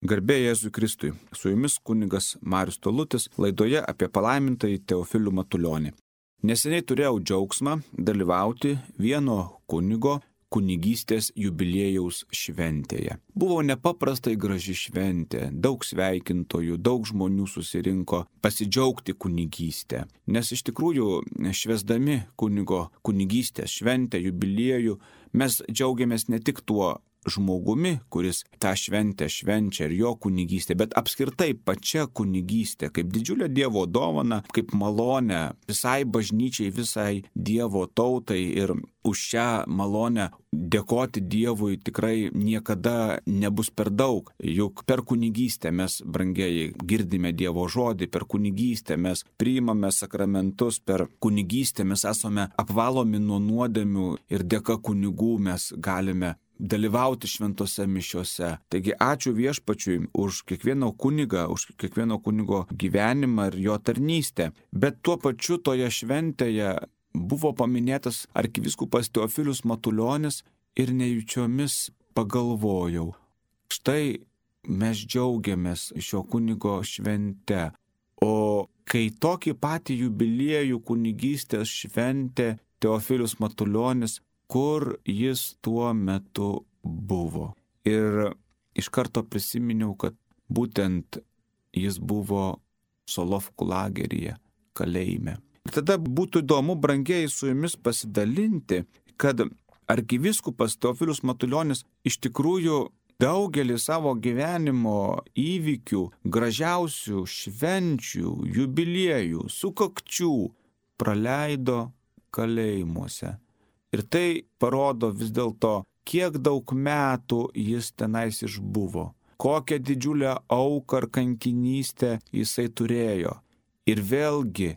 Garbė Jėzui Kristui. Su jumis kunigas Marius Tolutis laidoje apie palaimintąjį Teofilių Matulionį. Neseniai turėjau džiaugsmą dalyvauti vieno kunigo kunigystės jubiliejaus šventėje. Buvo nepaprastai graži šventė, daug sveikintojų, daug žmonių susirinko pasidžiaugti kunigystę. Nes iš tikrųjų, švęsdami kunigo kunigystės šventę, jubiliejų, mes džiaugiamės ne tik tuo žmogumi, kuris tą šventę švenčia ir jo kunigystė, bet apskritai pačia kunigystė, kaip didžiulė Dievo dovana, kaip malonė visai bažnyčiai, visai Dievo tautai, ir už šią malonę dėkoti Dievui tikrai niekada nebus per daug. Juk per kunigystę mes, brangieji, girdime Dievo žodį, per kunigystę mes priimame sakramentus, per kunigystę mes esame apvalomi nuo nuodėmių ir dėka kunigų mes galime dalyvauti šventose mišiose. Taigi ačiū Viešpačiui už kiekvieno kunigą, už kiekvieno kunigo gyvenimą ir jo tarnystę. Bet tuo pačiu toje šventėje buvo paminėtas arkivyskupas Teofilius Matulionis ir nejučiomis pagalvojau. Štai mes džiaugiamės šio kunigo švente. O kai tokį patį jubiliejų kunigystės šventė Teofilius Matulionis, kur jis tuo metu buvo. Ir iš karto prisiminiau, kad būtent jis buvo Solovkų lageryje, kalėjime. Ir tada būtų įdomu, brangieji, su jumis pasidalinti, kad arkivyskupas Teofilius Matulionis iš tikrųjų daugelį savo gyvenimo įvykių, gražiausių švenčių, jubiliejų, sukakčių praleido kalėjimuose. Ir tai parodo vis dėlto, kiek daug metų jis tenais išbuvo, kokią didžiulę auką ar kankinystę jisai turėjo. Ir vėlgi,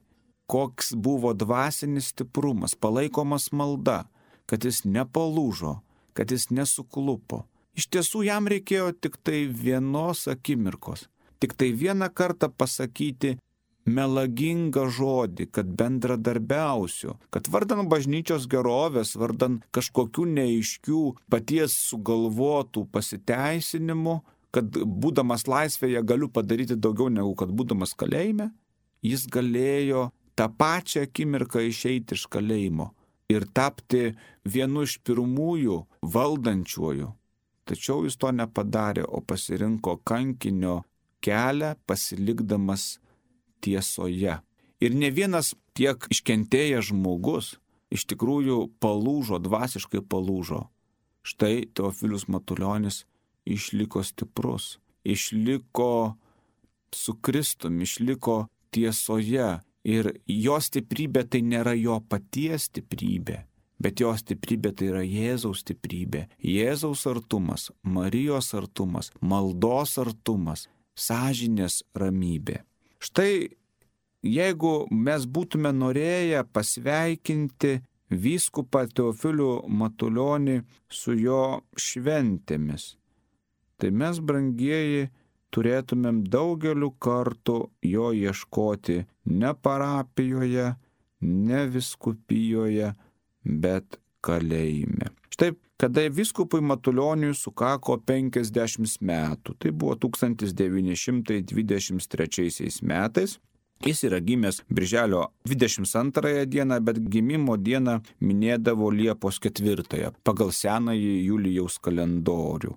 koks buvo dvasinis stiprumas, palaikomas malda, kad jis nepalūžo, kad jis nesuklupo. Iš tiesų jam reikėjo tik tai vienos akimirkos, tik tai vieną kartą pasakyti melagingą žodį, kad bendradarbiausiu, kad vardan bažnyčios gerovės, vardan kažkokių neaiškių paties sugalvotų pasiteisinimų, kad būdamas laisvėje galiu padaryti daugiau negu kad būdamas kalėjime, jis galėjo tą pačią akimirką išeiti iš kalėjimo ir tapti vienu iš pirmųjų valdančiųjų. Tačiau jis to nepadarė, o pasirinko kankinio kelią, pasilikdamas tiesoje. Ir ne vienas tiek iškentėjęs žmogus iš tikrųjų palūžo, dvasiškai palūžo. Štai Teofilius Matulionis išliko stiprus, išliko su Kristumi, išliko tiesoje. Ir jo stiprybė tai nėra jo paties stiprybė, bet jo stiprybė tai yra Jėzaus stiprybė. Jėzaus artumas, Marijos artumas, maldos artumas, sąžinės ramybė. Štai jeigu mes būtume norėję pasveikinti vyskupą Teofilių Matulionį su jo šventėmis, tai mes, brangieji, turėtumėm daugeliu kartų jo ieškoti ne parapijoje, ne vyskupijoje, bet kalėjime. Štai, kada vyskupui Matulioniui sukako 50 metų, tai buvo 1923 metais, jis yra gimęs birželio 22 dieną, bet gimimo dieną minėdavo Liepos 4 pagal senąjį Julijaus kalendorių.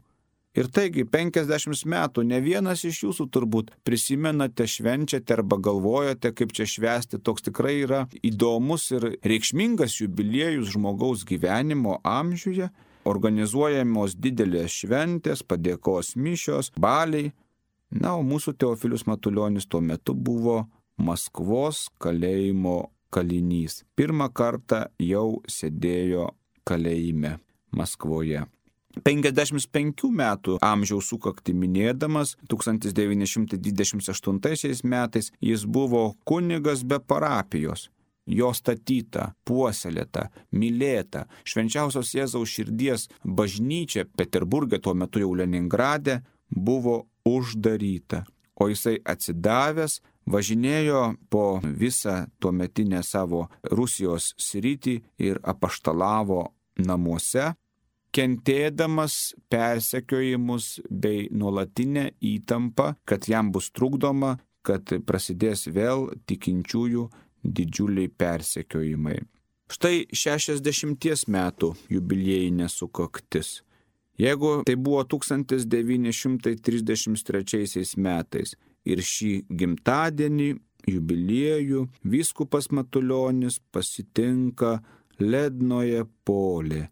Ir taigi 50 metų ne vienas iš jūsų turbūt prisimenate, švenčiate arba galvojate, kaip čia švęsti. Toks tikrai yra įdomus ir reikšmingas jubiliejus žmogaus gyvenimo amžiuje. Organizuojamos didelės šventės, padėkos mišios, baliai. Na, o mūsų Teofilius Matulionis tuo metu buvo Maskvos kalėjimo kalinys. Pirmą kartą jau sėdėjo kalėjime Maskvoje. 55 metų amžiaus sukaktį minėdamas 1928 metais jis buvo kunigas be parapijos. Jo statyta, puoselėta, mylėta Švenčiausios Jėzaus širdies bažnyčia Peterburge, tuo metu jau Leningrade, buvo uždaryta. O jisai atsidavęs važinėjo po visą tuometinę savo Rusijos sritį ir apaštalavo namuose. kentėdamas persekiojimus bei nuolatinę įtampą, kad jam bus trukdoma, kad prasidės vėl tikinčiųjų didžiuliai persekiojimai. Štai 60 metų jubiliejinė sukaktis. Jeigu tai buvo 1933 metais ir šį gimtadienį, jubiliejų, vyskupas Matulionis pasitinka Lednoje Polė.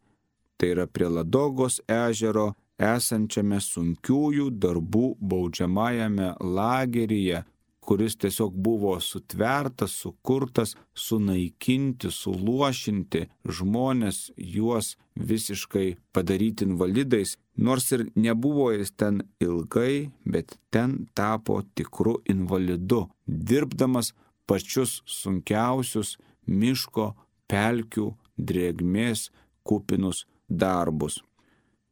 Tai yra prie Ladogos ežero esančiame sunkiųjų darbų baudžiamajame lageryje, kuris tiesiog buvo sutvertas, sukurtas, sunaikinti, suluošinti žmonės, juos visiškai padaryti invalidais. Nors ir nebuvo jis ten ilgai, bet ten tapo tikru invalidu, dirbdamas pačius sunkiausius miško, pelkių, drėgmės kupinus darbus.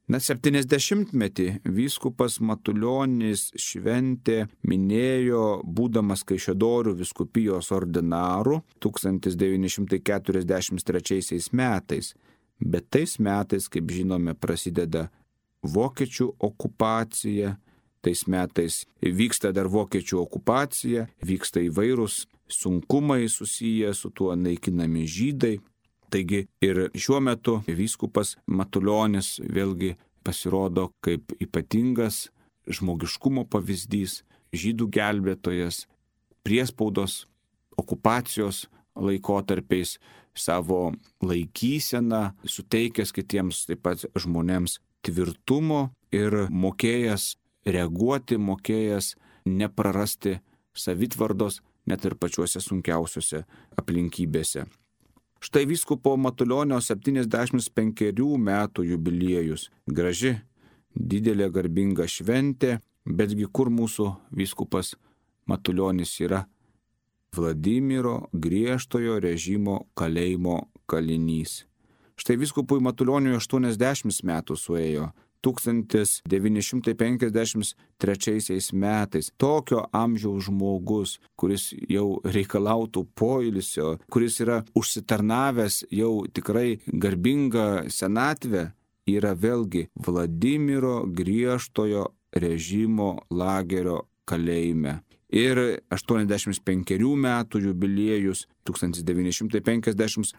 70-metį vyskupas Matulionis šventė minėjo būdamas Kaišiadorių vyskupijos ordinaru 1943 metais. Bet tais metais, kaip žinome, prasideda vokiečių okupacija. Tais metais vyksta dar vokiečių okupacija, vyksta įvairūs sunkumai susiję su tuo, naikinami žydai. Taigi ir šiuo metu vyskupas Matulionis vėlgi pasirodo kaip ypatingas žmogiškumo pavyzdys, žydų gelbėtojas, priespaudos, okupacijos laikotarpiais savo laikyseną suteikęs kitiems taip pat žmonėms tvirtumo ir mokėjęs reaguoti, mokėjęs neprarasti savitvardos net ir pačiuose sunkiausiuose aplinkybėse. Štai vyskupo Matulionio 75 metų jubiliejus. Graži, didelė garbinga šventė, betgi kur mūsų vyskupas Matulionis yra? Vladimiro griežtojo režimo kalėjimo kalinys. Štai vyskupui Matulioniui 80 metų suėjo. 1953 metais tokio amžiaus žmogus, kuris jau reikalautų poilsio, kuris yra užsitarnavęs jau tikrai garbingą senatvę, yra vėlgi Vladimiro griežtojo režimo lagerio kalėjime. Ir 85 metų jubiliejus 1958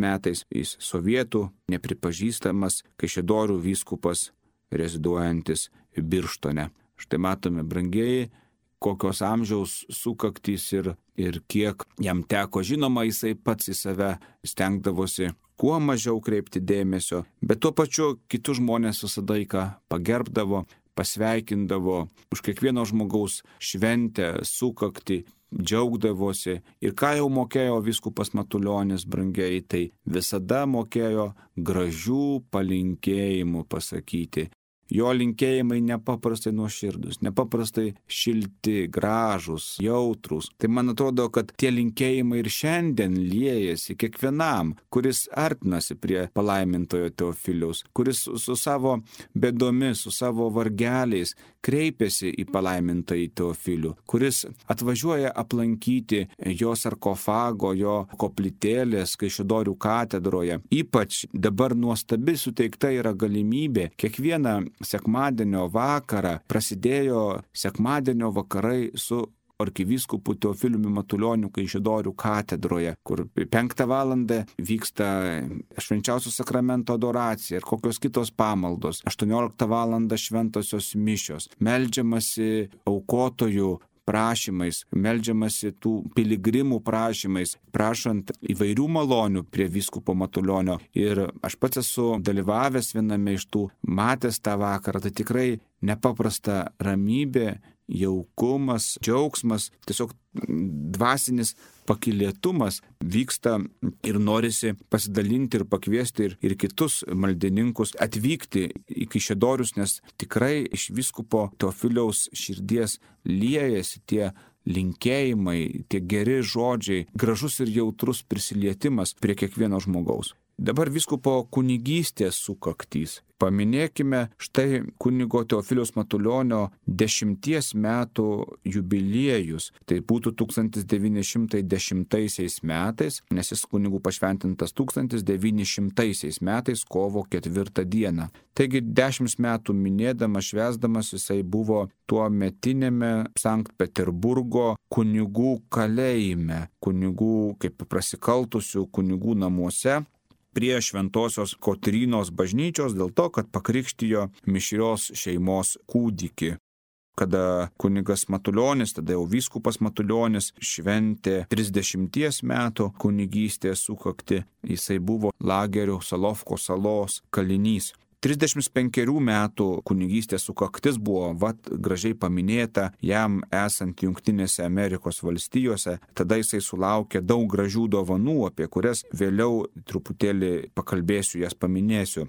metais jis sovietų nepripažįstamas Kaišiadorių vyskupas reziduojantis Birštone. Štai matome, brangieji, kokios amžiaus sukaktys ir kiek jam teko. Žinoma, jisai pats į save stengdavosi kuo mažiau kreipti dėmesio, bet tuo pačiu kitus žmonės visada pagerbdavo, pasveikindavo už kiekvieno žmogaus šventę, sukaktį, džiaugdavosi. Ir ką jau mokėjo vyskupas Matulionis, brangiai, tai visada mokėjo gražių palinkėjimų pasakyti. Jo linkėjimai nepaprastai nuoširdus, nepaprastai šilti, gražus, jautrus. Tai man atrodo, kad tie linkėjimai ir šiandien liejasi kiekvienam, kuris artinasi prie palaimintojo Teofiliaus, kuris su savo bėdomis, su savo vargeliais kreipiasi į palaimintąjį Teofilių, kuris atvažiuoja aplankyti jo sarkofago, jo koplytėlės Kaišiadorių katedroje. Ypač dabar nuostabi suteikta yra galimybė kiekvieną sekmadienio vakarą, prasidėjo sekmadienio vakarai su arkivyskupu Teofiliumi Matulioniu Kaišiadorių katedroje, kur 5 valandą vyksta švenčiausio sakramento adoracija ir kokios kitos pamaldos. 18 valandą šventosios mišios, meldžiamasi aukotojų prašymais, meldžiamasi tų piligrimų prašymais, prašant įvairių malonių prie vyskupo Matulionio. Ir aš pats esu dalyvavęs viename iš tų, matęs tą vakarą, tai tikrai nepaprasta ramybė, jaukumas, džiaugsmas, tiesiog dvasinis pakylėtumas vyksta ir norisi pasidalinti ir pakviesti ir kitus maldininkus atvykti į Kaišiadorius, nes tikrai iš vyskupo Teofiliaus širdies liejasi tie linkėjimai, tie geri žodžiai, gražus ir jautrus prisilietimas prie kiekvieno žmogaus. Dabar vyskupo kunigystės sukaktys. Paminėkime štai kunigo Teofiliaus Matulionio 10 metų jubiliejus. Tai būtų 1910 metais, nes jis kunigų pašventintas 1900 metais kovo 4 dieną. Taigi 10 metų minėdamas, švęsdamas, jisai buvo tuo metinėme Sankt Peterburgo kunigų kalėjime, kunigų kaip prasikaltusių kunigų namuose, prie Šventosios Kotrynos bažnyčios dėl to, kad pakrikštijo mišrios šeimos kūdikį. Kada kunigas Matulionis, tada jau vyskupas Matulionis šventė 30 metų kunigystės sukaktį, jisai buvo lagerio Solovko salos kalinys. 35 metų kunigystės sukaktis buvo gražiai paminėta jam esant Jungtinėse Amerikos valstijose. Tada jisai sulaukė daug gražių dovanų, apie kurias vėliau truputėlį pakalbėsiu, jas paminėsiu.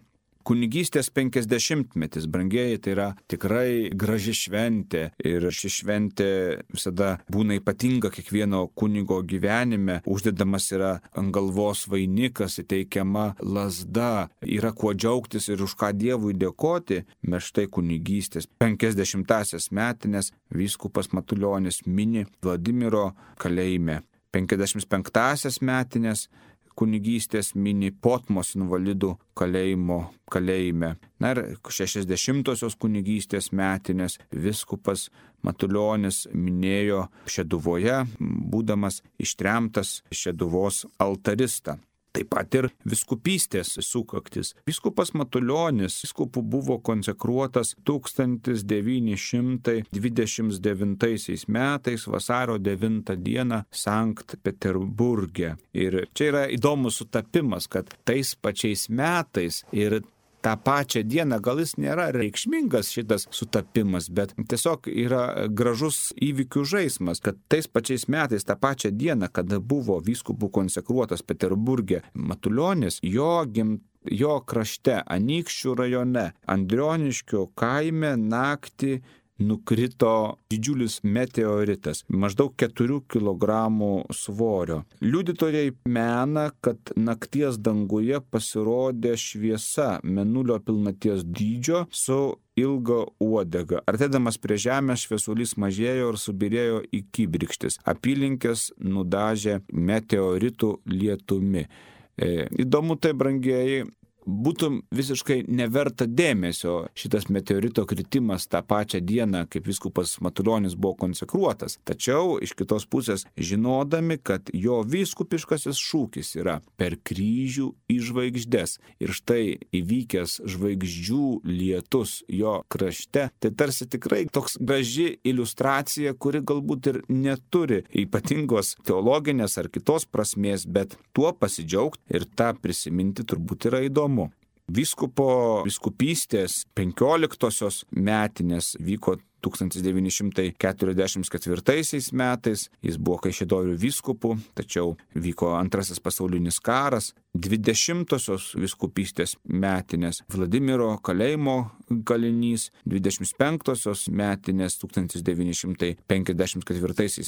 Kunigystės 50-metis, brangieji, tai yra tikrai graži šventė ir ši šventė visada būna ypatinga kiekvieno kunigo gyvenime. Uždedamas yra ant galvos vainikas, įteikiama lazda, yra kuo džiaugtis ir už ką Dievui dėkoti. Mes štai kunigystės 50-asias metinės vyskupas Matulionis mini Vladimiro kalėjime. 55-asias metinės kunigystės mini Potmos invalidų kalėjime. Na ir 60-osios kunigystės metinės vyskupas Matulionis minėjo Šeduvoje, būdamas ištremtas Šeduvos altaristą. Taip pat ir vyskupystės sukaktis. Vyskupas Matulionis vyskupų buvo konsekruotas 1929 metais vasario 9 dieną Sankt Peterburge. Ir čia yra įdomus sutapimas, kad tais pačiais metais ir tą pačią dieną, gal jis nėra reikšmingas šitas sutapimas, bet tiesiog yra gražus įvykių žaismas, kad tais pačiais metais, tą pačią dieną, kada buvo vyskupų konsekruotas Peterburge Matulionis, jo krašte, Anykščių rajone, Andrioniškio kaime naktį nukrito didžiulis meteoritas, maždaug 4 kg svorio. Liudytojai mena, kad nakties danguje pasirodė šviesa mėnulio pilnaties dydžio su ilga uodega. Artėdamas prie žemės šviesulys mažėjo ir subirėjo į kibirkštis. Apylinkės nudažė meteoritų lietumi. Įdomu tai, brangieji, būtų visiškai neverta dėmesio šitas meteorito kritimas tą pačią dieną, kaip vyskupas Matulionis buvo konsekruotas. Tačiau iš kitos pusės, žinodami, kad jo vyskupiškasis šūkis yra per kryžių į žvaigždes ir štai įvykęs žvaigždžių lietus jo krašte, tai tarsi tikrai toks graži iliustracija, kuri galbūt ir neturi ypatingos teologinės ar kitos prasmės, bet tuo pasidžiaugti ir tą prisiminti turbūt yra įdomu. Vyskupystės 15-osios metinės vyko 1944 metais, jis buvo Kaišiadorių vyskupu, tačiau vyko Antrasis pasaulinis karas. 20-osios vyskupystės metinės Vladimiro kalėjimo kalinys, 25-osios metinės 1954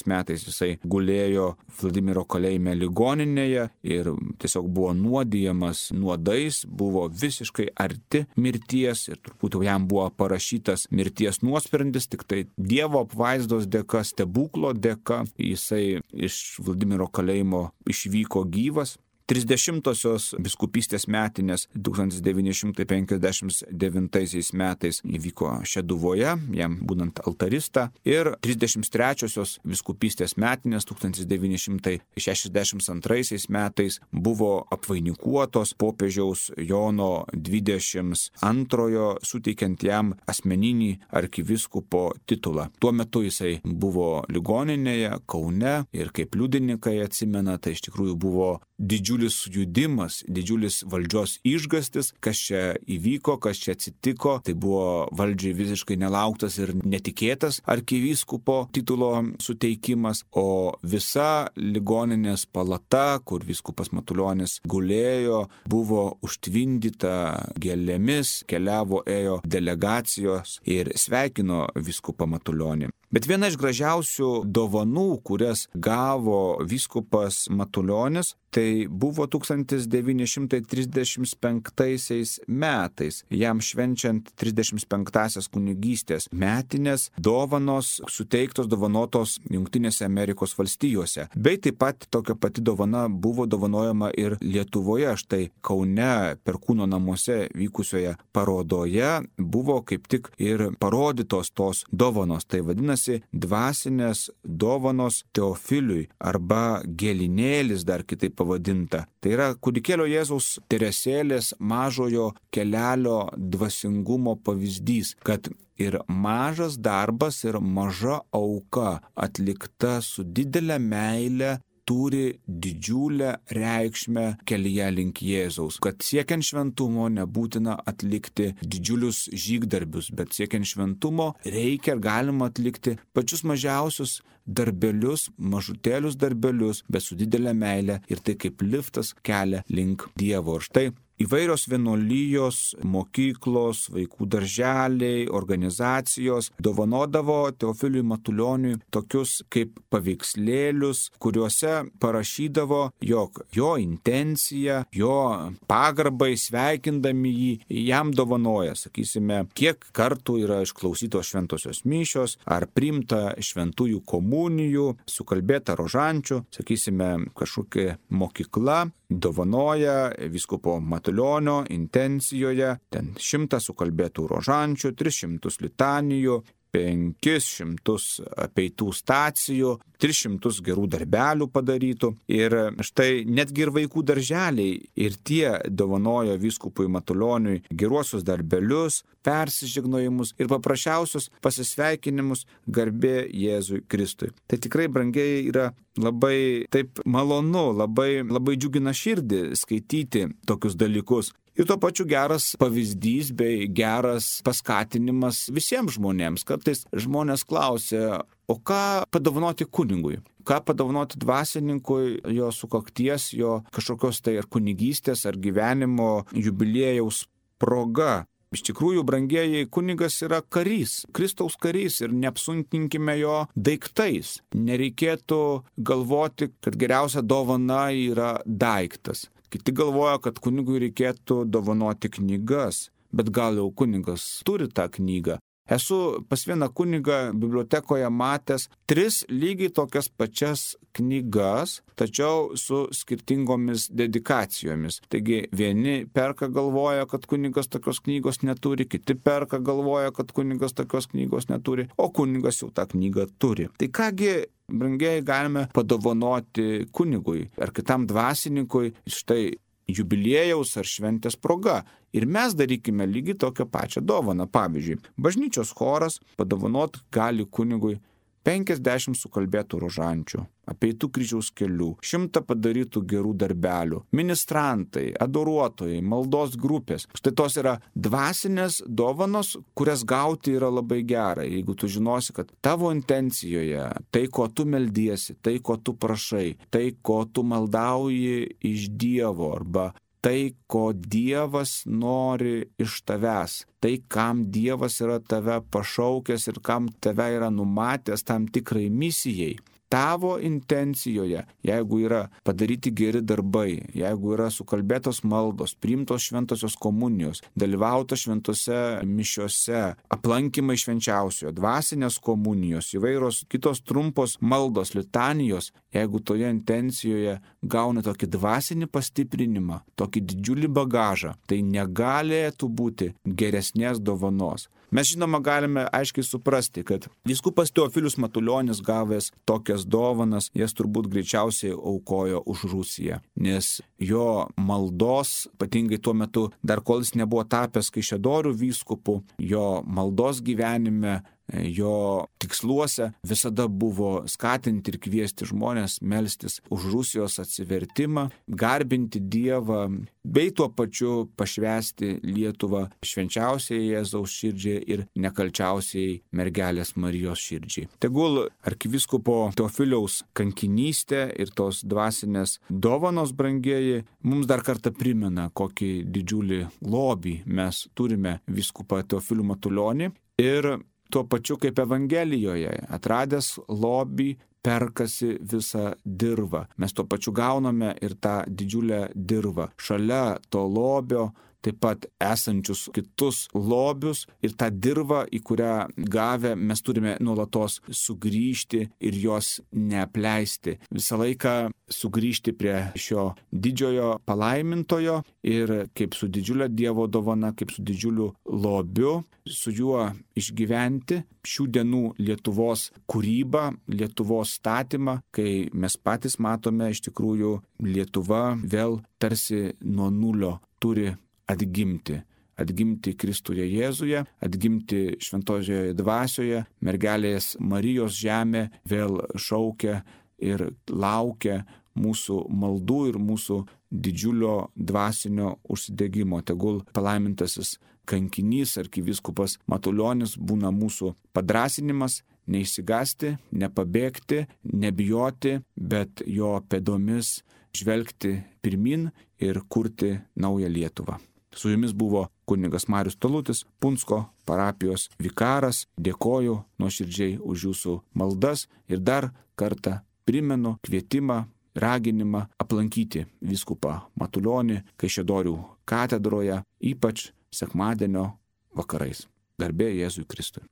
metais jisai gulėjo Vladimiro kalėjime ligoninėje ir tiesiog buvo nuodijamas nuodais, buvo visiškai arti mirties ir turbūt jam buvo parašytas mirties nuosprendis, tik tai Dievo apvaizdos dėka, stebuklo dėka jisai iš Vladimiro kalėjimo išvyko gyvas. 30-osios vyskupystės metinės 1959 metais įvyko Šeduvoje, jam būnant altaristą, ir 33-osios vyskupystės metinės 1962 metais buvo apvainikuotos popiežiaus Jono 22 suteikiant jam asmeninį arkivyskupo titulą. Tuo metu jisai buvo ligoninėje Kaune ir kaip liudininkai atsimena, tai iš tikrųjų buvo didžiulis sujudimas, didžiulis valdžios išgastis, kas čia įvyko, kas čia atsitiko. Tai buvo valdžiai visiškai nelauktas ir netikėtas arkivyskupo titulo suteikimas, o visa ligoninės palata, kur vyskupas Matulionis gulėjo, buvo užtvindyta gėlėmis, ėjo delegacijos ir sveikino vyskupą Matulionį. Bet viena iš gražiausių dovanų, kurias gavo vyskupas Matulionis, Tai buvo 1935 metais, jam švenčiant 35-asias kunigystės metinės, dovanos suteiktos, dovanotos Jungtinėse Amerikos valstijose. Bei taip pat tokia pati dovana buvo dovanojama ir Lietuvoje. Štai Kaune Perkūno namuose vykusioje parodoje buvo kaip tik ir parodytos tos dovanos. Tai vadinasi dvasinės dovanos Teofiliui arba gėlinėlis dar kitaip pavadinta. Tai yra kūdikėlio Jėzaus Teresėlės mažojo kelelio dvasingumo pavyzdys, kad ir mažas darbas ir maža auka atlikta su didelė meile turi didžiulę reikšmę kelyje link Jėzaus. Kad siekiant šventumo nebūtina atlikti didžiulius žygdarbius, bet siekiant šventumo reikia ir galima atlikti pačius mažiausius darbelius, mažutėlius darbelius, bet su didelė meile ir tai kaip liftas kelia link Dievo. Ir štai įvairios vienuolijos, mokyklos, vaikų darželiai, organizacijos dovanodavo Teofiliui Matulioniui tokius kaip paveikslėlius, kuriuose parašydavo, jog jo intencija, jo pagarbai sveikindami jį, jam dovanoja, sakysime, kiek kartų yra išklausytos šventosios mišios, ar priimta šventųjų komunijų, sukalbėta rožančių, sakysime, kažkokia mokykla dovanoja vyskupo Matulionio intencijoje ten 100 sukalbėtų rožančių, 300 litanijų, 500 apeitų stacijų, 300 gerų darbelių padarytų. Ir štai netgi ir vaikų darželiai ir tie dovanojo vyskupui Matulioniui geruosius darbelius, persižegnojimus ir paprasčiausius pasisveikinimus garbė Jėzui Kristui. Tai tikrai, brangiai, yra labai taip malonu, labai džiugina širdį skaityti tokius dalykus. Ir tuo pačiu geras pavyzdys bei geras paskatinimas visiems žmonėms. Kartais žmonės klausia, o ką padovanoti kunigui? Ką padovanoti dvasininkui jo sukakties, jo kažkokios tai ar kunigystės, ar gyvenimo jubiliejaus proga? Iš tikrųjų, brangieji, kunigas yra karys, Kristaus karys ir neapsunkinkime jo daiktais. Nereikėtų galvoti, kad geriausia dovana yra daiktas. Kiti galvoja, kad kunigui reikėtų dovanoti knygas, bet gal jau kunigas turi tą knygą. Esu pas vieną kunigą bibliotekoje matęs 3 lygiai tokias pačias knygas, tačiau su skirtingomis dedikacijomis. Taigi vieni perka galvoja, kad kunigas tokios knygos neturi, kiti perka galvoja, kad kunigas tokios knygos neturi, o kunigas jau tą knygą turi. Tai kągi, brangiai, galime padovanoti kunigui ar kitam dvasininkui štai jubiliejaus ar šventės proga. Ir mes darykime lygiai tokią pačią dovaną. Pavyzdžiui, bažnyčios choras padovanot gali kunigui 50 sukalbėtų rožančių, apeitų kryžiaus kelių, 100 padarytų gerų darbelių, ministrantai, adoruotojai, maldos grupės. Štai tos yra dvasinės dovanos, kurias gauti yra labai gera. Jeigu tu žinosi, kad tavo intencijoje tai, ko tu meldiesi, tai, ko tu prašai, tai, ko tu maldauji iš Dievo arba tai, ko Dievas nori iš tavęs, tai, kam Dievas yra tave pašaukęs ir kam tave yra numatęs tam tikrai misijai. Tavo intencijoje, jeigu yra padaryti geri darbai, jeigu yra sukalbėtos maldos, priimtos šventosios komunijos, dalyvauta šventose mišiose, aplankymai švenčiausiojo, dvasinės komunijos, įvairios kitos trumpos maldos, litanijos, jeigu toje intencijoje gauna tokį dvasinį pastiprinimą, tokį didžiulį bagažą, tai negalėtų būti geresnės dovanos. Mes žinoma galime aiškiai suprasti, kad vyskupas Teofilius Matulionis gavęs tokias dovanas, jas turbūt greičiausiai aukojo už Rusiją, nes jo maldos, ypatingai tuo metu, dar kol jis nebuvo tapęs Kaišiadorių vyskupu, jo maldos gyvenime, jo tiksluose visada buvo skatinti ir kviesti žmonės melstis už Rusijos atsivertimą, garbinti Dievą, bei tuo pačiu pašvęsti Lietuvą švenčiausiai Jėzaus širdžiai ir nekalčiausiai mergelės Marijos širdžiai. Tegul arkivyskupo Teofiliaus kankinystė ir tos dvasinės dovanos, brangieji, mums dar kartą primena, kokį didžiulį lobį mes turime vyskupą Teofilių Matulionį ir tuo pačiu kaip Evangelijoje, atradęs lobį, perkasi visą dirvą. Mes tuo pačiu gauname ir tą didžiulę dirvą. Šalia to lobio taip pat esančius kitus lobius ir tą dirvą, į kurią gavę mes turime nuolatos sugrįžti ir jos neapleisti. Visą laiką sugrįžti prie šio didžiojo palaimintojo ir kaip su didžiulė Dievo dovana, kaip su didžiuliu lobiu, su juo išgyventi šių dienų Lietuvos kūrybą, Lietuvos statymą, kai mes patys matome iš tikrųjų Lietuva vėl tarsi nuo nulio turi atgimti Kristuje Jėzuje, atgimti šventojoje dvasioje, mergelės Marijos žemė vėl šaukia ir laukia mūsų maldų ir mūsų didžiulio dvasinio užsidegimo. Tegul palaimintasis kankinys arkivyskupas Matulionis būna mūsų padrasinimas, neišsigąsti, nepabėgti, nebijoti, bet jo pėdomis žvelgti pirmin ir kurti naują Lietuvą. Su jumis buvo kunigas Marius Talutis, Punsko parapijos vikaras. Dėkoju nuoširdžiai už jūsų maldas ir dar kartą primenu kvietimą, raginimą aplankyti vyskupą Matulionį Kaišiadorių katedroje, ypač sekmadienio vakarais. Garbė Jėzui Kristui.